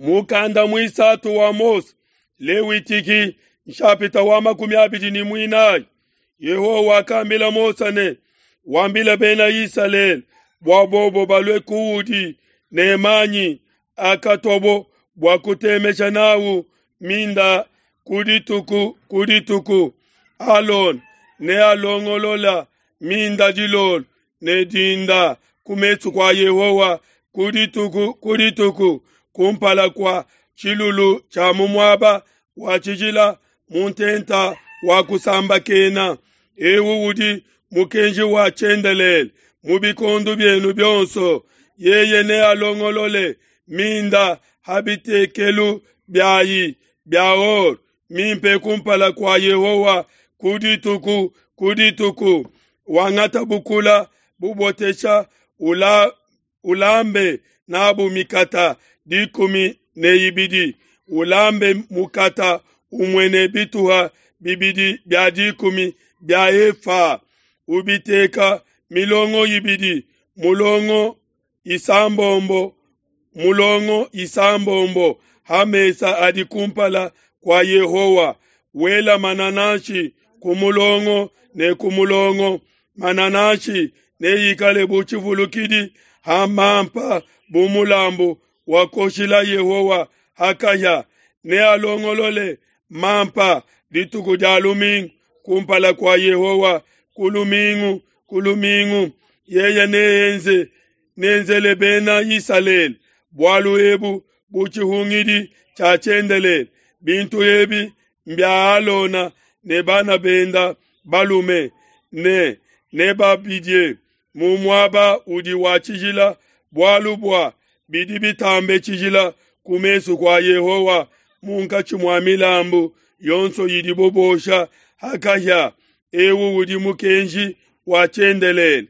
Mukanda muisatu wa Mose, Lewitiki, nshapita wa 24. Yehowa wakambila Mose ne, Wambile bena Isalele bua bobo balue kuudi ne manyi akatuabo bua kutemesha nawu minda ku dituku ku dituku. Alona nealongolola minda dilolo ne dinda ku mesu kua Yehowa ku dituku ku dituku kumpala kua tshilulu tshia mu muaba wa tshijila mu ntenta wa kusambakena. Eu udi mukenji wa tshiendelele mu bikondo bienu bionso. Yeye nealongolole minda ha bitekelu biayi bia or mimpe kumpala kua Yehowa ku dituku ku dituku. Wangata bukula bubotesha ula, ulambe nabu mikata 12, ulambe mukata umue ne bituha bibidi bia dikumi bia efa, ubiteka milongo ibidi, mulongo isambombo mulongo isambombo ha mesa adi kumpala kua Yehowa. Wela manananshi ku mulongo ne ku mulongo. Manananshi neikale bu tshivulukidi ha mampa bu mulambu wa kuoshila Yehowa ha kahia. Nealongolole mampa dituku dia lumingu kumpala kua Yehowa ku lumingu ku lumingu. Yeye neenze nenzele bena Isalele bualu ebu bu tshihungidi tshia tshiendelele. Bintu ebi mbia Alona ne bana benda balume ne nebabidie mu muaba udi wa tshijila, bualu bua bidi bitambe tshijila ku mesu kua Yehowa munkatshi mua milambu yonso idibo bosha ha kahia. Eu udi mukenji wa tshiendelele.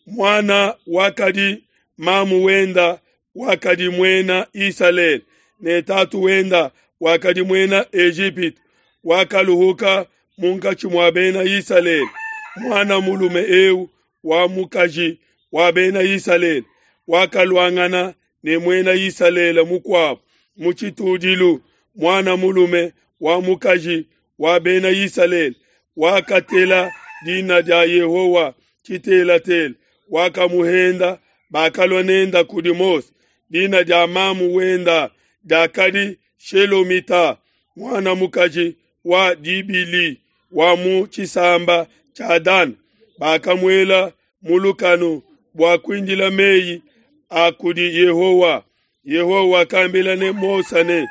Muana wakadi mamu wenda wakadi muena Isalele ne tatu wenda wakadi muena Ejipitu, wakaluhuka munkatshi mua bena Isalele. Muana mulume eu wa mukaji wa bena Isalele wakaluangana ne muena Isalele mukuabo mu tshitudilu. Muana mulume wa mukaji wa bena Isalele wakatela dina dia Yehowa tshitelatela, wakamuhenda. Bakalua nenda kudi Mose. Dina dia mamu wenda diakadi Shelomita, muana mukaji wa Dibili wa mu tshisamba tshia Dan. Bakamuela mu lukanu bua kuindila meyi a kudi Yehowa. Yehowa wakambila ne Mose ne,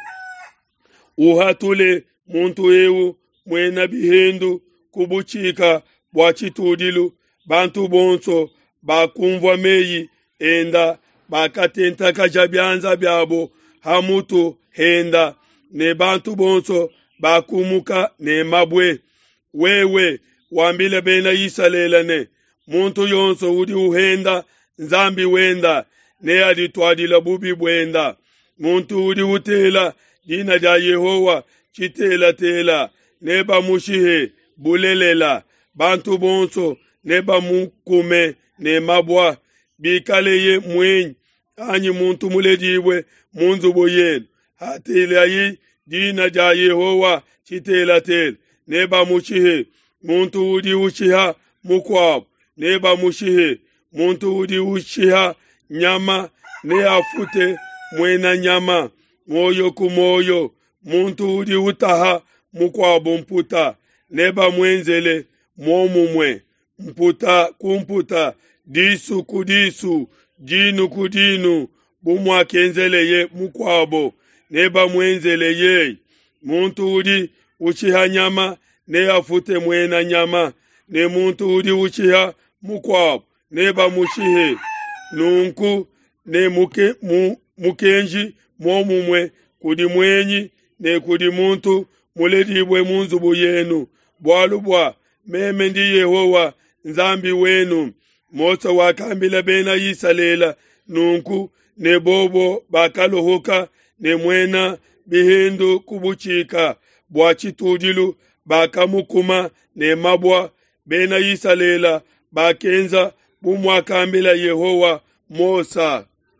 Uhatule muntu eu muena bihendu ku butshika bua tshitudilu. Bantu bonso bakumvua meyi enda bakatentakaja bianza biabo ha mutu henda, ne bantu bonso bakumuka ne mabue. Wewe wambile bena Isalele ne, muntu yonso udi uhenda Nzambi wenda neadituadile bubi buenda. Muntu udi utela dina dia Yehowa tshitelatela nebamushihe bulelela. Bantu bonso nebamukume ne mabua, bikaleye muenyi anyi muntu muledibue mu nzubu yenu. Hatelayi dina dia Yehowa tshitelatela nebamushihe. Muntu udi ushiha mukuabo nebamushihe. Muntu udi ushiha nyama neafute muena nyama muoyo ku muoyo. Muntu udi utaha mukuabo mputa nebamuenzele muomumue, mputa ku mputa, disu ku disu, dinu ku dinu, bu muakenzeleye mukuabo nebamuenzele yeye. Muntu udi ushiha nyama neafute muena nyama, ne muntu udi ushiha mukuabo nebamushihe. Nunku ne muke, mu, mukenji muomumue kudi muenyi ne kudi muntu muledibue mu nzubu yenu, bualu bua meme ndi Yehowa Nzambi wenu. Mose wakambila bena Isalele nunku, ne bobo bakaluhuka ne muena bihendu ku butshika bua tshitudilu, bakamukuma ne mabua. Bena Isalele bakenza bu muakambila Yehowa Mose.